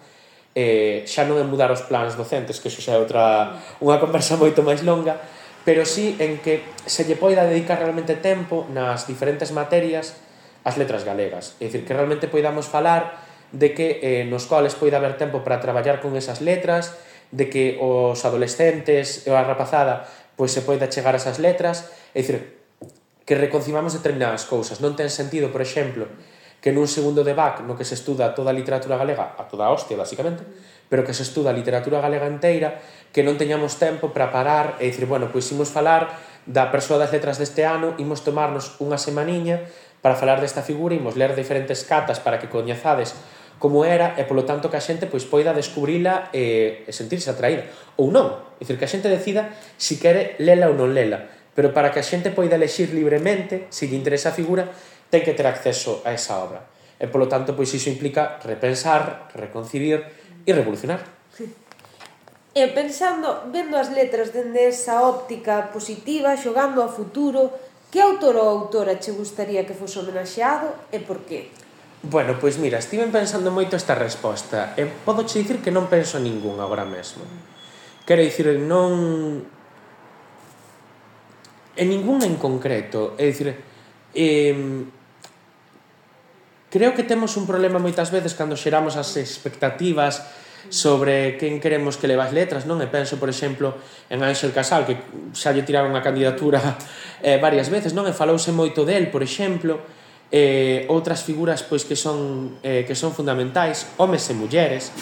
Xa non en mudar os plans docentes, que iso xa é unha conversa moito máis longa, pero sí en que se lle poida dedicar realmente tempo nas diferentes materias ás letras galegas, é dicir, que realmente poidamos falar de que nos coles poida haber tempo para traballar con esas letras, de que os adolescentes e a rapazada pois se poida chegar a esas letras, é dicir, que reconcimamos determinadas cousas. Non ten sentido, por exemplo, que nun segundo de BAC no que se estuda toda a literatura galega, a toda a hostia, basicamente, pero que se estuda a literatura galega inteira, que non teñamos tempo para parar e dicir, bueno, pois imos falar da persoa das letras deste ano, imos tomarnos unha semaniña para falar desta figura, imos ler diferentes catas para que coñezades como era e, polo tanto, que a xente pois poida descubrila e sentirse atraída. Ou non, é dicir, que a xente decida si quere lela ou non lela, pero para que a xente poida elexir libremente, se lle interesa a figura, ten que ter acceso a esa obra. E, polo tanto, pois iso implica repensar, reconcibir e revolucionar. E pensando, vendo as letras dende esa óptica positiva, xogando ao futuro, que autor ou autora che gustaría que fose homenaxeado e por qué? Bueno, pois mira, estiven pensando moito esta resposta e podo che dicir que non penso en ningún agora mesmo. Quero dicir, non... en ningún en concreto, é dicir, creo que temos un problema moitas veces cando xeramos as expectativas sobre quen queremos que leva as letras, non? E penso, por exemplo, en Ángel Casal, que xa lle tiraron a candidatura varias veces, non? E falouse moito del, por exemplo, outras figuras pois que son fundamentais, homes e mulleres,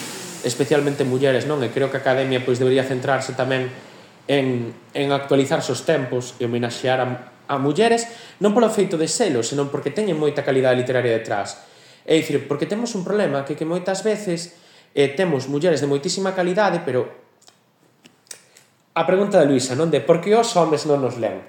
especialmente mulleres, non? E creo que a Academia pois debería centrarse tamén en actualizar os tempos e homenaxear a mulleres, non polo feito de selo, senón porque teñen moita calidade literaria detrás. É dicir, porque temos un problema que moitas veces temos mulleres de moitísima calidade, pero a pregunta de Luisa, non? De por que os homes non nos len?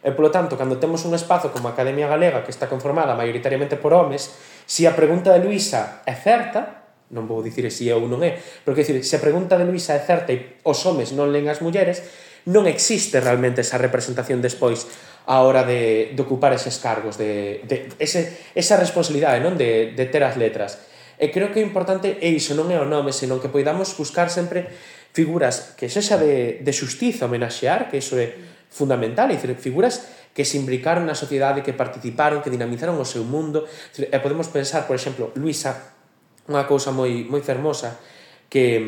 E, polo tanto, cando temos un espazo como a Academia Galega que está conformada maioritariamente por homes, se a pregunta de Luisa é certa, non vou dicir se é ou non é, pero que dicir, se a pregunta de Luisa é certa e os homes non len as mulleres, non existe realmente esa representación despois a hora de ocupar eses cargos, esa responsabilidade, non? De ter as letras. E creo que é importante, e iso non é o nome, senón que poidamos buscar sempre figuras que sexa de xustiza homenaxear, que iso é fundamental, é dicir, figuras que se imbricaron na sociedade, que participaron, que dinamizaron o seu mundo. E podemos pensar, por exemplo, Luisa, unha cousa moi fermosa que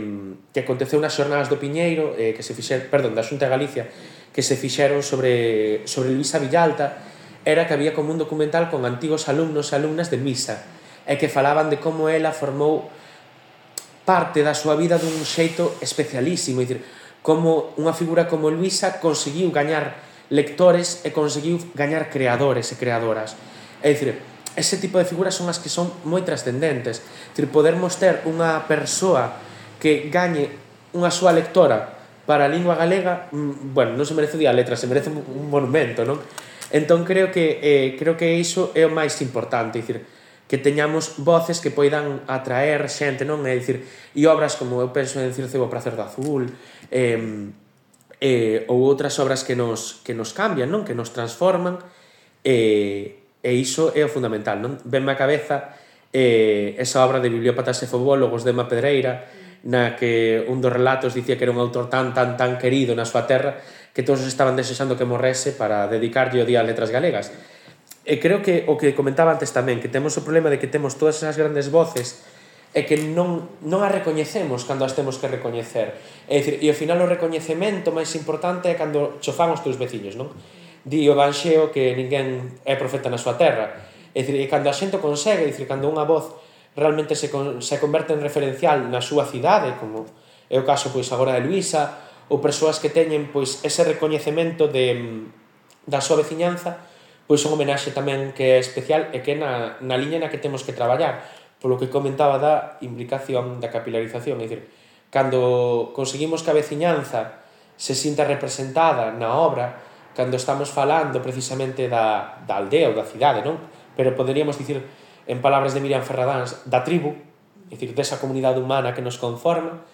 aconteceu nas xornadas do Piñeiro, que se fixeron, da Xunta de Galicia, que se fixeron sobre Luisa Villalta, era que había como un documental con antigos alumnos e alumnas de Luisa, e que falaban de como ela formou parte da súa vida dun xeito especialísimo, é dicir, como unha figura como Luisa conseguiu gañar lectores e conseguiu gañar creadores e creadoras. É dicir, ese tipo de figuras son as que son moi trascendentes. É dicir, podermos ter unha persoa que gañe unha súa lectora para a lingua galega, bueno, non se merece o Día das Letras, se merece un monumento, non? Entón creo que iso é o máis importante, é dicir, que teñamos voces que poidan atraer xente, non? É dicir, e obras como eu penso en Circe o Pracer do Azul, ou outras obras que nos cambian, non? Que nos transforman, e iso é o fundamental, non? Venme a cabeza esa obra de Bibliópatas e Fobólogos de Emma Pedreira, na que un dos relatos dicía que era un autor tan querido na súa terra que todos estaban desexando que morrese para dedicarlle o Día das Letras Galegas. E creo que o que comentaba antes tamén, que temos o problema de que temos todas esas grandes voces e que non a recoñecemos cando as temos que recoñecer. É dicir, e ao final o recoñecemento máis importante é cando cho fan os teus veciños, non? Di o Evanxeo que ninguén é profeta na súa terra. É dicir, e cando a xente o consegue, é dicir, cando unha voz realmente se converte en referencial na súa cidade, como é o caso pois agora de Luisa, ou persoas que teñen pois ese recoñecemento da súa veciñanza, pois un homenaxe tamén que é especial e que é na liña na que temos que traballar, polo que comentaba da implicación, da capilarización, é dicir, cando conseguimos que a veciñanza se sinta representada na obra, cando estamos falando precisamente da aldea ou da cidade, non? Pero poderíamos dicir, en palabras de Miriam Ferradáns, da tribu, é dicir, desa comunidade humana que nos conforma,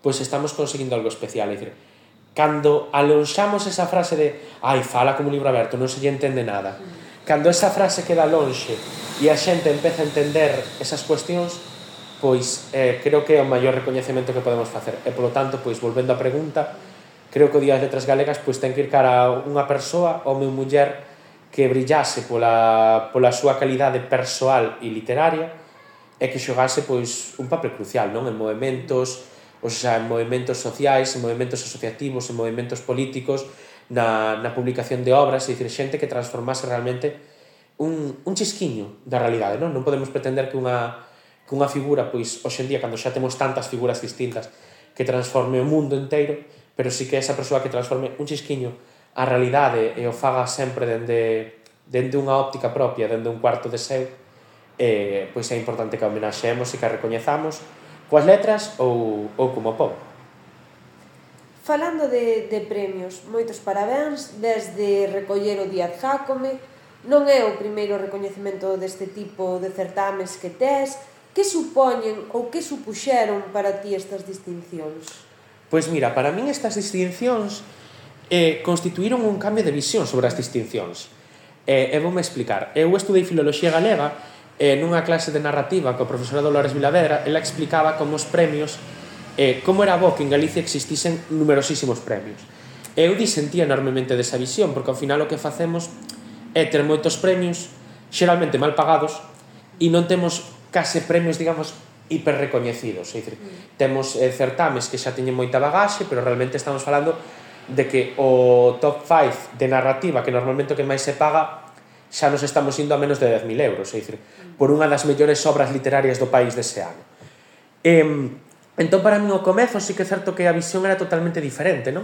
pois estamos conseguindo algo especial, é dicir, cando alonxamos esa frase de ai, fala como un libro aberto, non se lle entende nada, cando esa frase queda lonxe e a xente empeza a entender esas cuestións, pois creo que é o maior recoñecemento que podemos facer. E, polo tanto, pois, volvendo á pregunta, creo que o Día das Letras Galegas pois ten que ir cara a unha persoa, home ou muller, que brillase pola súa calidade persoal e literaria e que xogase pois un papel crucial, non? En movementos, ou sea, en movementos sociais, en movementos asociativos, en movementos políticos, na publicación de obras, é dicir, xente que transformase realmente un chisquiño da realidade, non? Non podemos pretender que unha figura, pois, hoxe en día, cando xa temos tantas figuras distintas, que transforme o mundo inteiro, pero sí que esa persoa que transforme un chisquiño a realidade e o faga sempre dende unha óptica propia, dende un cuarto de seu, pois é importante que a homenaxeemos e que a recoñezamos coas letras ou como pobo. Falando de premios, moitos parabéns desde recoller o Díaz Jácome. Non é o primeiro recoñecemento deste tipo de certames que tes. Que supoñen ou que supuxeron para ti estas distincións? Pois mira, para min estas distincións constituíron un cambio de visión sobre as distincións. E voume explicar. Eu estudei Filoloxía Galega nunha clase de narrativa co profesor Dolores Vilavedra. Ela explicaba como os premios, como era bo que en Galicia existisen numerosísimos premios. Eu disentía enormemente desa visión, porque ao final o que facemos é ter moitos premios, xeralmente mal pagados, e non temos case premios, digamos, hiperrecoñecidos. É dicir, temos certames que xa teñen moita bagaxe, pero realmente estamos falando de que o top 5 de narrativa, que normalmente o que máis se paga, xa nos estamos indo a menos de 10.000 euros, é dicir, por unha das mellores obras literarias do país dese ano. Entón, para mí, o comezo sí que é certo que a visión era totalmente diferente, non?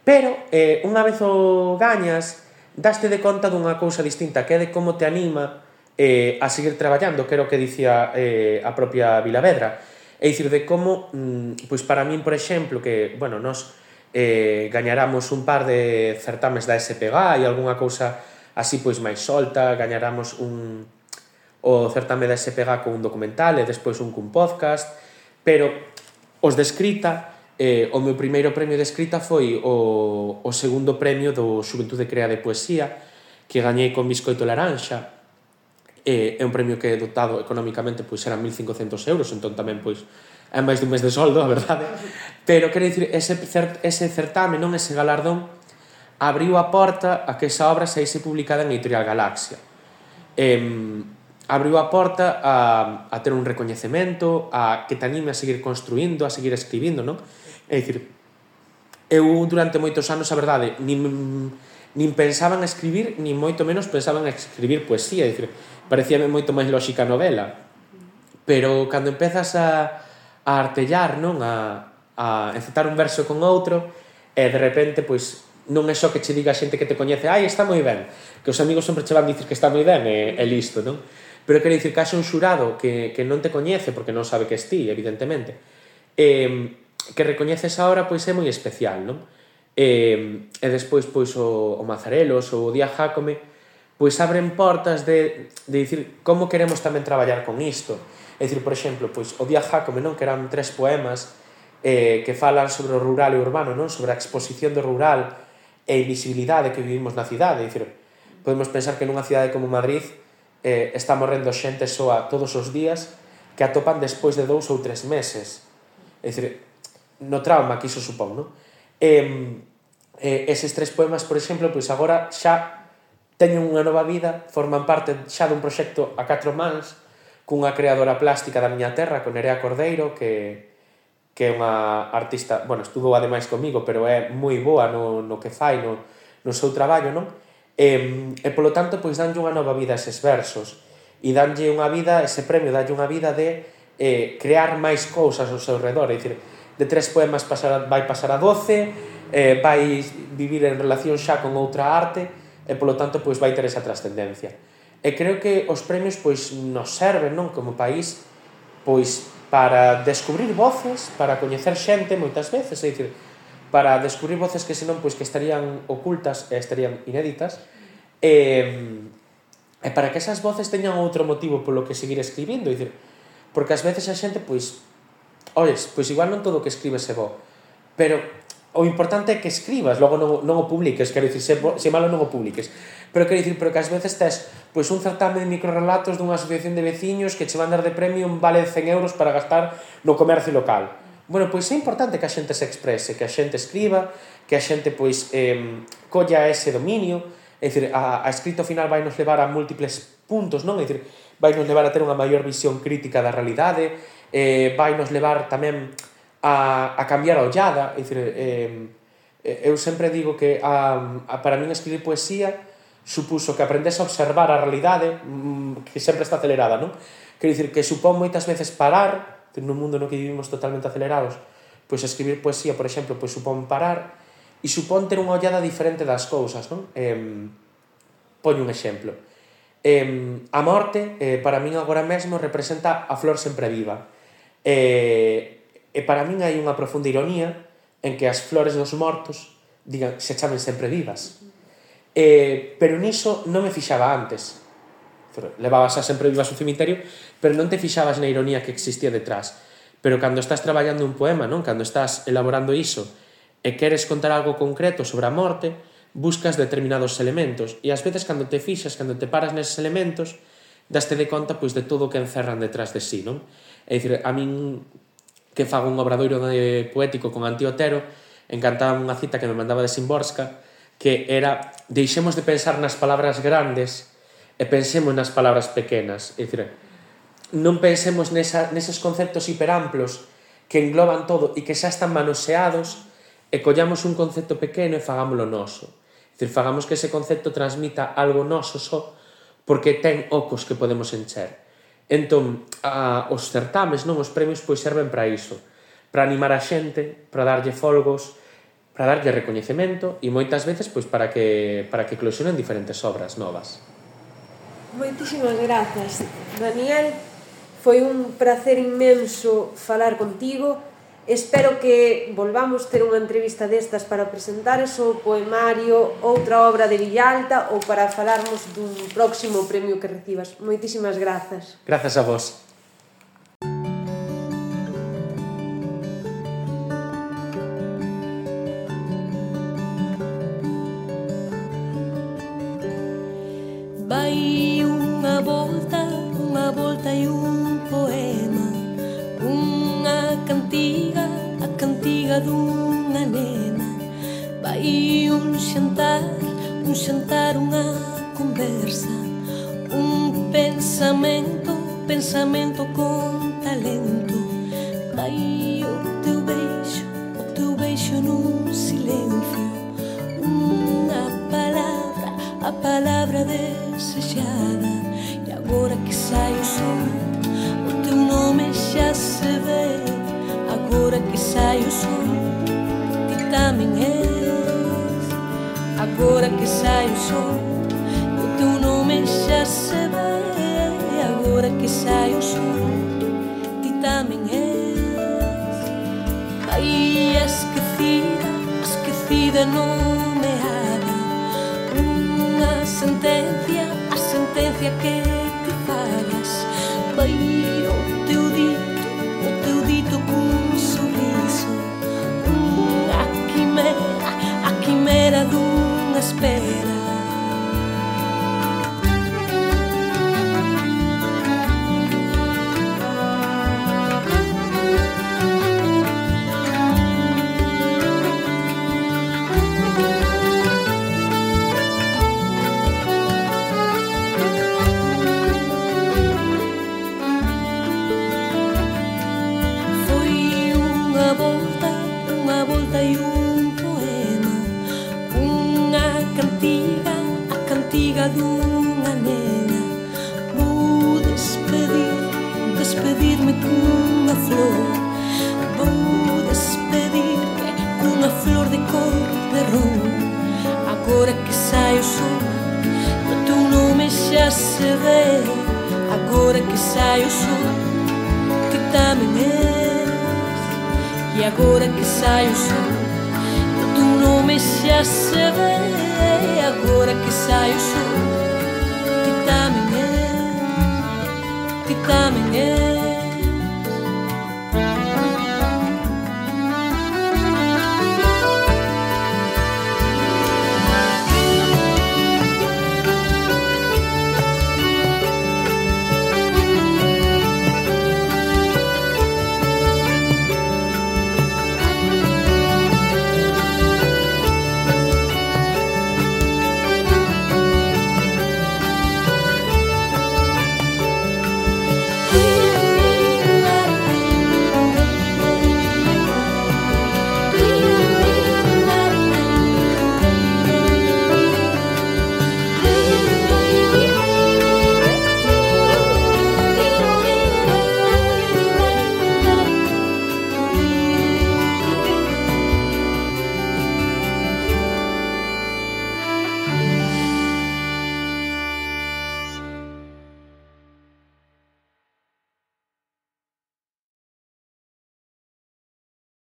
Pero, unha vez o gañas, daste de conta dunha cousa distinta, que é de como te anima a seguir traballando, que era o que dicía a propia Vilavedra. É dicir, de como, pois para min, por exemplo, que, bueno, nos gañaramos un par de certames da SPG e algunha cousa así pois máis solta, gañaramos o certame da SPG con un documental e despois un cun podcast, pero os de escrita, o meu primeiro premio de escrita foi o segundo premio do Xuventude Crea de Poesía, que gañei con Biscoito Laranxa. É un premio que dotado económicamente pois eran 1.500 euros, entón tamén pois é máis dun mes de soldo, a verdade. Pero quero dicir, ese certame, non ese galardón, abriu a porta a que esa obra saíse publicada en Editorial Galaxia. Abriu a porta a ter un recoñecemento, a que te anime a seguir construindo, a seguir escribindo, non? É dicir, eu durante moitos anos, a verdade, nin pensaba en escribir, nin moito menos pensaba en escribir poesía, é dicir, parecíame moito máis lóxica a novela. Pero cando empezas a artellar, non? A encetar un verso con outro, e de repente, pois, non é só que che diga a xente que te coñece ai, está moi ben, que os amigos sempre che van dicir que está moi ben e listo, non? Pero quero dicir que haxe un xurado que non te coñece, porque non sabe que es ti, evidentemente, que recoñeces ahora, pois é moi especial, non? E despois, pois, o Mazarelos ou o Díaz Jácome, pois abren portas de dicir como queremos tamén traballar con isto. É dicir, por exemplo, pois, o Díaz Jácome, non? Que eran 3 poemas que falan sobre o rural e o urbano, non? Sobre a exposición do rural e a invisibilidade que vivimos na cidade. É dicir, podemos pensar que nunha cidade como Madrid está morrendo xente soa todos os días que atopan despois de 2 ou 3 meses. É dicir, no trauma que iso supón, non? Eses 3 poemas, por exemplo, pois agora xa teñen unha nova vida, forman parte xa dun proxecto a 4 mans, cunha creadora plástica da miña terra, con Nerea Cordeiro, que é unha artista, bueno, estudou ademais comigo, pero é moi boa no que fai, no seu traballo, non? E polo tanto, pois, danlle unha nova vida a eses versos, e danlle unha vida, ese premio, danlle unha vida de crear máis cousas ao seu redor, é dicir, de 3 poemas vai pasar a 12, vai vivir en relación xa con outra arte, e polo tanto, pois, vai ter esa trascendencia. E creo que os premios, pois, nos serven, non, como país, pois, para descubrir voces, para coñecer xente moitas veces, é dicir, para descubrir voces que senón pois que estarían ocultas e estarían inéditas, e para que esas voces teñan outro motivo polo que seguir escribindo, é dicir, porque ás veces a xente pois, olles, pois igual non todo o que escribes é bo, pero o importante é que escribas, logo non o publiques, quero dicir, se malo non o publiques, pero quero dicir, pero que ás veces tes pois un certame de microrelatos dunha asociación de veciños que che van dar de premio un vale de 100 euros para gastar no comercio local. Bueno, pois é importante que a xente se exprese, que a xente escriba, que a xente pois colla ese dominio, é dicir, a escrito final vai nos levar a múltiples puntos, non? É dicir, vai nos levar a ter unha maior visión crítica da realidade, vai nos levar tamén a cambiar a ollada, é dicir, eu sempre digo que para min escribir poesía supuso que aprendes a observar a realidade que sempre está acelerada, non? Quero dicir que supón moitas veces parar, nun mundo no que vivimos totalmente acelerados, pois escribir poesía, por exemplo, pois supón parar e supón ter unha ollada diferente das cousas, non? Poño un exemplo. A morte, para min agora mesmo, representa a flor sempre viva. E para min hai unha profunda ironía en que as flores dos mortos se chamen sempre vivas. Pero niso non me fixaba antes. Levabas a sempre vivas ao cemiterio, pero non te fixabas na ironía que existía detrás. Pero cando estás traballando un poema, non? Cando estás elaborando iso e queres contar algo concreto sobre a morte, buscas determinados elementos, e ás veces cando te fixas, cando te paras neses elementos, daste de conta pois de todo o que encerran detrás de sí, non? É dicir, a min que fago un obradoiro poético con Antía Otero, encantaba unha cita que me mandaba de Szymborska, que era: deixemos de pensar nas palabras grandes e pensemos nas palabras pequenas. É dicir, non pensemos neses conceptos hiperamplos que engloban todo e que xa están manoseados, e collamos un concepto pequeno e fagámoslo noso. É dicir, fagamos que ese concepto transmita algo noso só, porque ten ocos que podemos encher. Entón, os certames, non, os premios, pois serven para iso, para animar a xente, para darlle folgos, para darlle recoñecemento e moitas veces pois para que eclosionen diferentes obras novas. Moitísimas grazas, Daniel. Foi un placer inmenso falar contigo. Espero que volvamos ter unha entrevista destas para presentar o poemario, outra obra de Villalta ou para falarmos dun próximo premio que recibas. Moitísimas grazas. Grazas a vos. Vai unha volta e un poema, unha cantiga, a cantiga dunha nena. Vai un xantar, unha conversa, un pensamento con talento. Vai o teu beijo nun silencio, unha palabra, a palabra desexada. E agora que sai o sol, o teu nome xa se ve. Agora que sai o sol, ti tamén és. Agora que sai o sol, o teu nome xa se ve. Agora que sai o sol, ti tamén és. Aí esquecida nomeada, unha sentencia, a sentencia que te fagas. Vai o teu dito cun sorriso, a quimera dunha espera. sei un poema, unha cantiga, a cantiga dunha nena. Vou despedirme cunha flor, vou despedirme cunha flor de cor de ron. Agora que sai o sol, o teu nome xa se ve. Agora que sai o sol, que tamén és. E agora que sai o sol, o teu nome xa se ve. Agora que sai o sol, que tamén és, que tamén és.